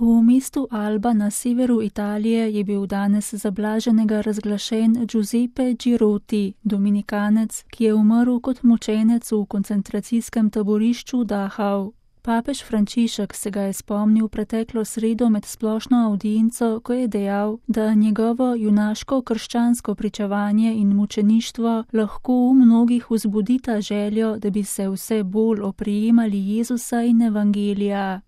V mestu Alba na severu Italije je bil danes za blaženega razglašen Giuseppe Girotti, dominikanec, ki je umrl kot mučenec v koncentracijskem taborišču Dachau. Papež Frančišek se ga je spomnil preteklo sredo med splošno avdienco, ko je dejal, da njegovo junaško krščansko pričevanje in mučeništvo lahko v mnogih vzbudita željo, da bi se vse bolj oprijemali Jezusa in evangelija.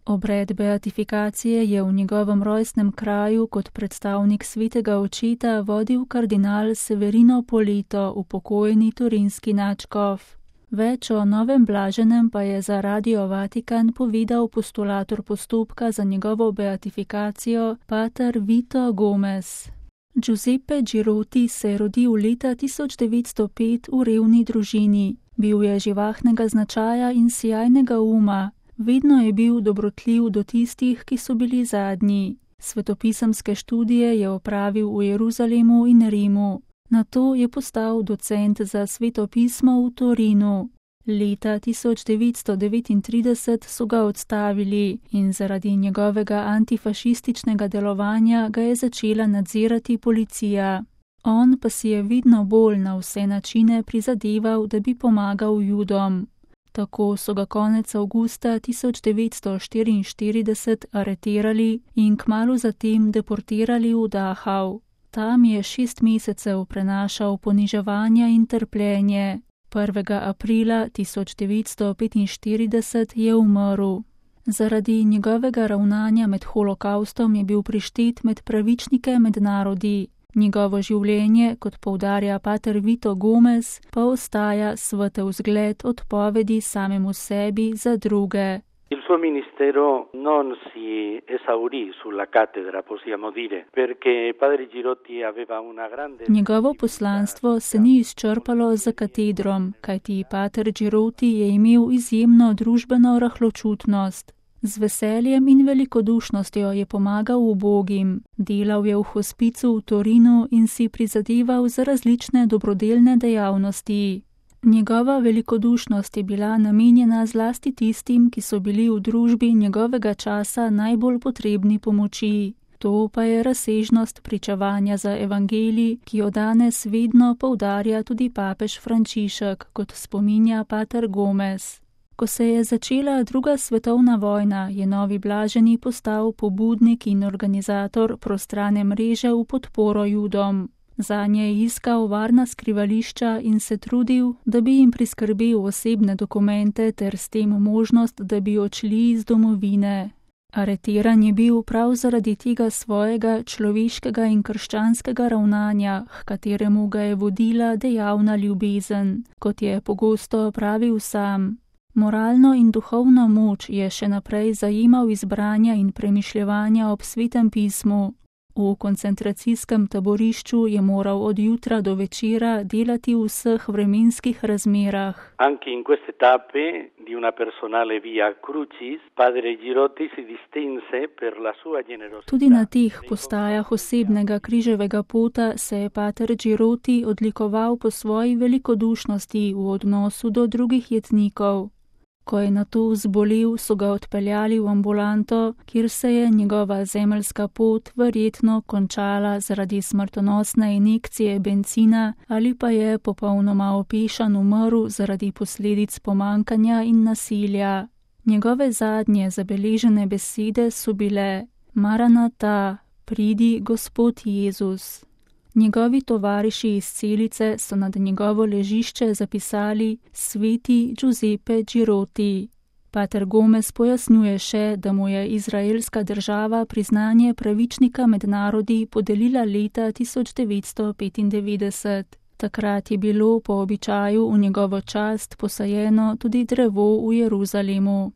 Obred beatifikacije je v njegovem rojstnem kraju kot predstavnik svetega očeta vodil kardinal Severino Poleto, upokojeni turinski nadškof. Več o novem blaženem pa je za Radio Vatikan povedal postulator postopka za njegovo beatifikacijo, pater Vito Gomez. Giuseppe Girotti se je rodil leta 1905 v revni družini. Bil je živahnega značaja in sijajnega uma. Vedno je bil dobrotljiv do tistih, ki so bili zadnji. Svetopisemske študije je opravil v Jeruzalemu in Rimu. Nato je postal docent za svetopismo v Torinu. Leta 1939 so ga odstavili in zaradi njegovega antifašističnega delovanja ga je začela nadzirati policija. On pa si je vedno bolj na vse načine prizadeval, da bi pomagal Judom. Tako so ga konec avgusta 1944 aretirali in kmalu zatem deportirali v Dachau. Tam je 6 mesecev prenašal poniževanja in trpljenje. 1. aprila 1945 je umrl. Zaradi njegovega ravnanja med holokaustom je bil prištet med pravičnike med narodi. Njegovo življenje, kot poudarja pater Vito Gomez, pa ostaja svetel zgled odpovedi samemu sebi za druge. Il suo ministero non si esaurì sulla cattedra, possiamo dire, perché padre Girotti aveva una grande... Njegovo poslanstvo se ni izčrpalo za katedrom, kajti pater Girotti je imel izjemno družbeno rahločutnost. Z veseljem in velikodušnostjo je pomagal ubogim, delal je v hospicu v Torinu in si prizadeval za različne dobrodelne dejavnosti. Njegova velikodušnost je bila namenjena zlasti tistim, ki so bili v družbi njegovega časa najbolj potrebni pomoči. To pa je razsežnost pričevanja za evangelij, ki jo danes vedno poudarja tudi papež Frančišek, kot spominja pater Gomez. Ko se je začela druga svetovna vojna, je novi blaženi postal pobudnik in organizator prostrane mreže v podporo Judom. Zanje je iskal varna skrivališča in se trudil, da bi jim priskrbel osebne dokumente ter s tem možnost, da bi odšli iz domovine. Aretiran je bil prav zaradi tega svojega človeškega in krščanskega ravnanja, h kateremu ga je vodila dejavna ljubezen, kot je pogosto pravil sam. Moralno in duhovno moč je še naprej zajemal izbranja in premišljevanja ob svetem pismu. V koncentracijskem taborišču je moral od jutra do večera delati v vseh vremenskih razmerah. Anche in queste tappe di una personale via crucis, padre Girotti si distinse per la sua generosità. Tudi na teh postajah osebnega križevega pota se je pater Girotti odlikoval po svoji velikodušnosti v odnosu do drugih jetnikov. Ko je nato zbolel, so ga odpeljali v ambulanto, kjer se je njegova zemeljska pot verjetno končala zaradi smrtonosne injekcije bencina ali pa je popolnoma opešan umrl zaradi posledic pomankanja in nasilja. Njegove zadnje zabeležene besede so bile: Maranata, pridi Gospod Jezus. Njegovi tovariši iz celice so nad njegovo ležišče zapisali Sveti Giuseppe Girotti. Pater Gomez pojasnjuje še, da mu je izraelska država priznanje pravičnika med narodi podelila leta 1995. Takrat je bilo po običaju v njegovo čast posajeno tudi drevo v Jeruzalemu.